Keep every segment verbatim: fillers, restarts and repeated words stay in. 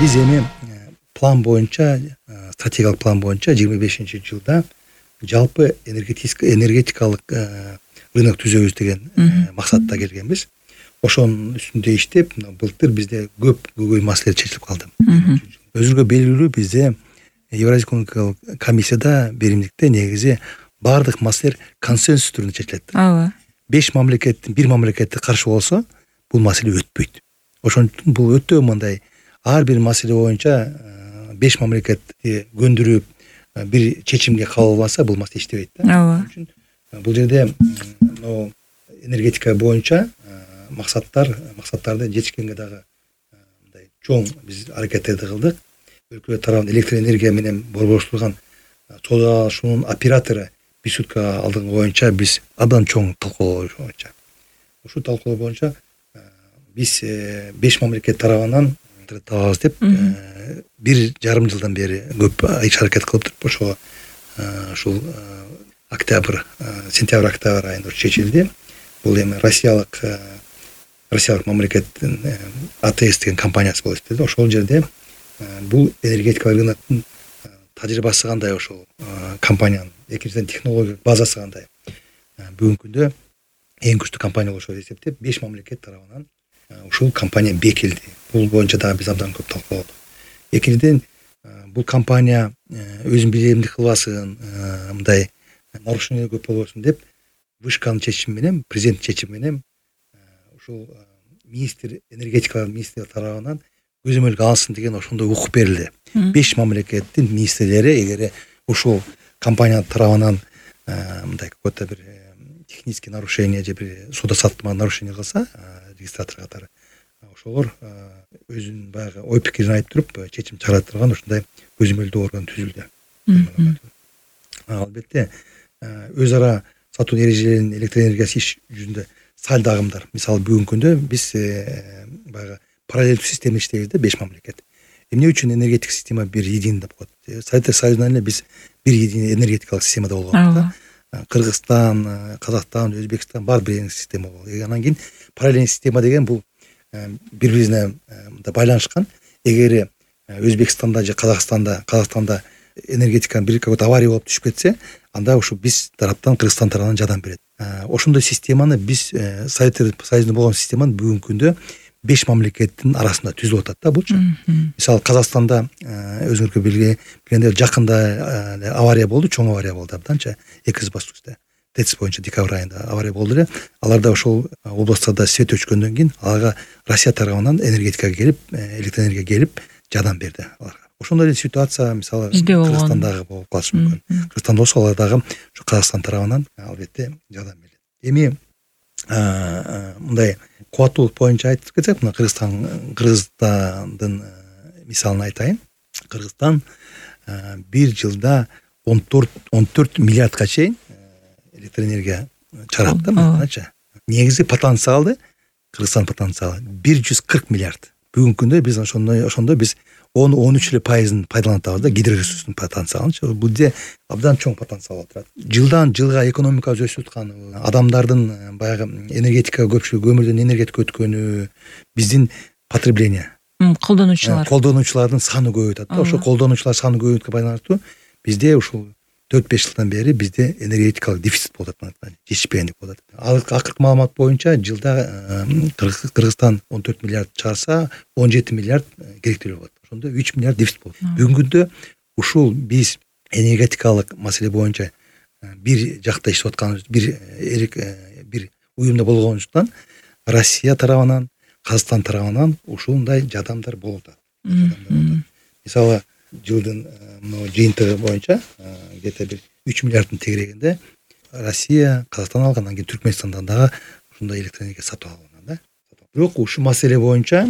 Биз эми план боюнча, стратегиялык план боюнча жыйырма бешинчи жылда жалпы энергетикалык рынок түзөбүз деген максатта келгенбиз. Ошонун үстүндө иштеп, былтыр бизде көп көйгөй маселелер чечилип калды. Өзүңөргө белгилүү, бизде Евразия экономикалык комиссияда беримдикте негизи бардык маселелер консенсус түрүндө чечилет. Ооба. беш мамлекеттин бир мамлекетти каршы болсо, бул маселе өтпөйт. Ошон үчүн бул өтө мындай ар бир маселе боюнча беш мамлекетти көндүрүп бир чечимге кабыл албаса, бул маселе иштебейт да. Ооба. Ошон үчүн бул жерде но энергетика боюнча максаттар, максаттарды жетишкенге дагы мындай чоң биз аракеттерди кылдык. Өлкө тарабынан электр энергия менен борборуштурган соода алышуунун оператору бир сутка алдыңкы боюнча биз абдан чоң талкуулоо боюнча. Ушул талкуулоо боюнча биз беш мамлекет тарабынан табабыз деп бир жарым жылдан бери көп иш аракет кылып туруп, ошого ушул октябрь, сентябрь, октябрь айында чечилди. Бул эми Россиялык Россиялык мамлекеттин АТС деген компаниясы болуп иштеди. Ошол жерде бул энергетикалык рыноктун тажрыйбасы кандай, ошол компаниянын экинчиден технологиялык базасы кандай. Бүгүнкү күндө эң күчтүү компания болушу деп эсептеп, беш мамлекет тарабынан ушул компания бекилди. Бул боюнча дагы биз абдан көп талкууладык. Экинчиден, бул компания өзүн билемдик кылбасын, мындай нарушение көп болбосун деп, вышканын чечими менен, президент чечими менен ушул министр, энергетика министри тарабынан көзөмөлгө алынсын деген ошондой укук берилди. беш мамлекеттин министрлери эгер ушул компания тарабынан мындай какой-то бир технический нарушение же бир соода саттыкта нарушение кылса, регистратор катары, ошолор өзүнүн баягы ой пикирин айтып туруп чечим чыгара турган ушундай көзөмөлдөө орган түзүлдү. Албетте, өз ара сатуу эрежелерин электр энергиясы иш жүзүндө салды агымдар. Мисалы, бүгүнкү күндө биз баягы параллелдүү система иштейбиз да, беш мамлекет. Эмне үчүн энергетик система бир единый деп коет? Советтер Союзунан эле биз бир единый энергетикалык системада болгонбуз да. Кыргызстан, Казакстан, Өзбекстан бар бир система болду. Анан кийин параллельный система деген бул бири-бирине байланышкан. Эгер Өзбекстанда же Казакстанда, Казакстанда энергетиканын бир какой-то авария болуп түшүп кетсе, анда ушу биз тараптан, Кыргызстан тарабынан жардам берет. Ошондой системаны биз Советтер Союзунда болгон системаны бүгүнкү күндө беш мамлекеттин арасында түзүлүп атат да булчу. Мисалы, Казакстанда өзүңөргө билгендей жакында авария болду, чоң авария болду абданча, эки Баскучта. ТЭЦ боюнча декабрь айында авария болду эле. Аларда ошол областтарда свет өчкөндөн кийин аларга Россия тарабынан энергетика келип, электр энергия келип жардам берди аларга. Ошондой эле ситуация мисалы Кыргызстандагы болуп калышы мүмкүн. Кыргызстанда болсо алар дагы ушу Казакстан тарабынан албетте жардам берди. Эми мындай кубаттуулук боюнча айтып кетсек, мына Кыргызстан, Кыргызстандын мисалын айтайын. Кыргызстан бир жылда он төрт миллиардка чейин электр энергия чыгарат да, мынча. Негизи потенциалы, Кыргызстан потенциалы бир жүз кырк миллиард. Бүгүнкү күндө биз ошондой ошондо биз он он үч эле пайызын пайдаланып атабыз да, гидроресурстун потенциалын. Бул абдан чоң потенциал отурат. Жылдан жылга экономика өсүп атканы, адамдардын баягы энергетика көпчүлүгү өмүрдөн энергетика өткөнү, биздин потребление, колдонуучулар, колдонуучулардын саны көбөйүп атат да. Ошо колдонуучулар саны көбөйгөнгө байланыштуу бизде ушул төрт беш жылдан бери бизде энергетикалык дефицит болуп атат, жетишпегендик болуп атат. Акыркы маалымат боюнча жылда Кыргызстан он төрт миллиард чыгарса, он жети миллиард керектелүү болот. Ошондо үч миллиард дефицит болот. Бүгүнкү күндө ушул биз энергетикалык маселе боюнча бир жакта иштеп атканыбыз, бир эрик бир уюмда болгонубуздан Россия тарабынан, Казакстан тарабынан ушундай жардамдар болуп атат. Мисалы, жылдын жыйынтыгы боюнча где-то бир үч миллиарддын тегерегинде Россия, Казакстан алган, анан кийин Түркмөнстандан дагы ушундай электр энергия сатып алган да. Бирок ушул маселе боюнча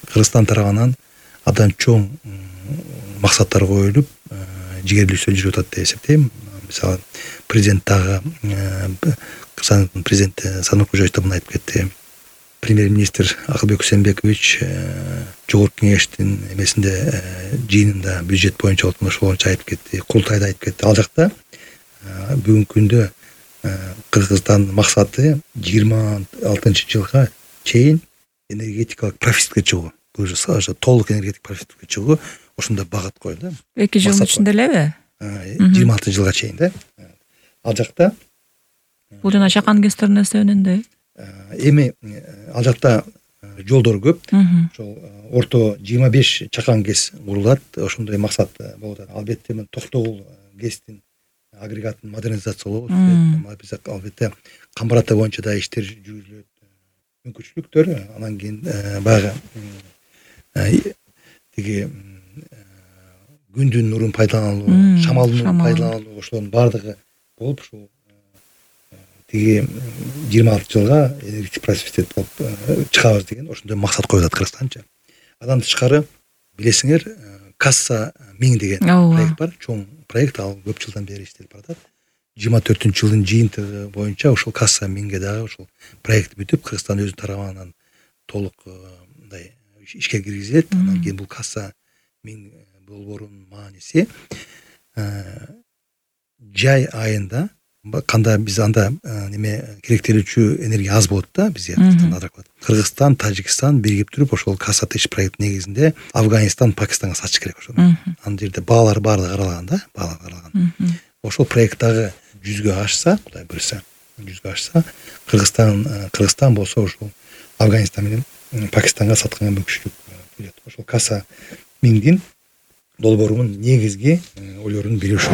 Кыргызстан тарабынан абдан чоң максаттар коюлуп, жигерлүүсү жүрүп атат деп эсептейм. Мисалы, президент дагы, Кыргызстандын президенти Садыр Кожоевич да муну айтып кетти. Премьер-министр Акылбек Усенбекович жогорку кеңештин эмесинде жыйынында бюджет боюнча ошол боюнча айтып кетти, курултайда айтып кетти. Ал жакта бүгүнкү күндө Кыргызстандын максаты жыйырма алтынчы жылга чейин энергетикалык профицитке чыгуу. уже толук энергетик профиттикке чыгуу ошондой багыт коюлду. эки жылдын ичинде элеби? жыйырма алты жылга чейин да. Ал жакта бул жана чакан гэстердин эсебинен эми ал жакта жолдор көп. Ошол орто жыйырма беш чакан гэс курулат. Ошондой максат болуп атат. Албетте мен токтогул гэстин агрегатын модернизациялоо, албетте Камбар-Ата боюнча да иштер жүргүзүлөт, мүмкүнчүлүктөр. Анан кийин баягы тиги күндүн нурун пайдалануу, шамалдын нурун пайдалануу, ошолордун баардыгы болуп ушул тиги жыйырма алты жылга энергетик просвет болуп чыгабыз деген ошондой максат коюлат Кыргызстанча. Андан тышкары билесиңер, Касса миң деген проект бар, чоң проект, ал көп жылдан бери иштелип баратат. жыйырма төртүнчү жылдын жыйынтыгы боюнча ушул Касса миңге дагы ушул проект бүтүп, Кыргызстан өзүнүн тарабынан толук мындай ишке киргизилет. Андан кийин бул Касса миң долбоорунун мааниси жай айында кандай биз анда неме керектелүүчү энергия аз болот да бизге Кыргызстанда. Кыргызстан, Тажикстан биригип туруп ошол Касса тыш проект негизинде Афганистан, Пакистанга сатыш керек ошону. Ан жерде баалар баардыгы каралган да, баалар каралган. Ошол проект дагы жүзгө ашса, Кудай буйрса, жүзгө ашса, Кыргызстан Кыргызстан болсо ошол Афганистан менен Пакистанга сатканга мүмкүнчүлүк болот. Ошол Касса миңдин долбоорунун негизги ойлорун билүү ушул.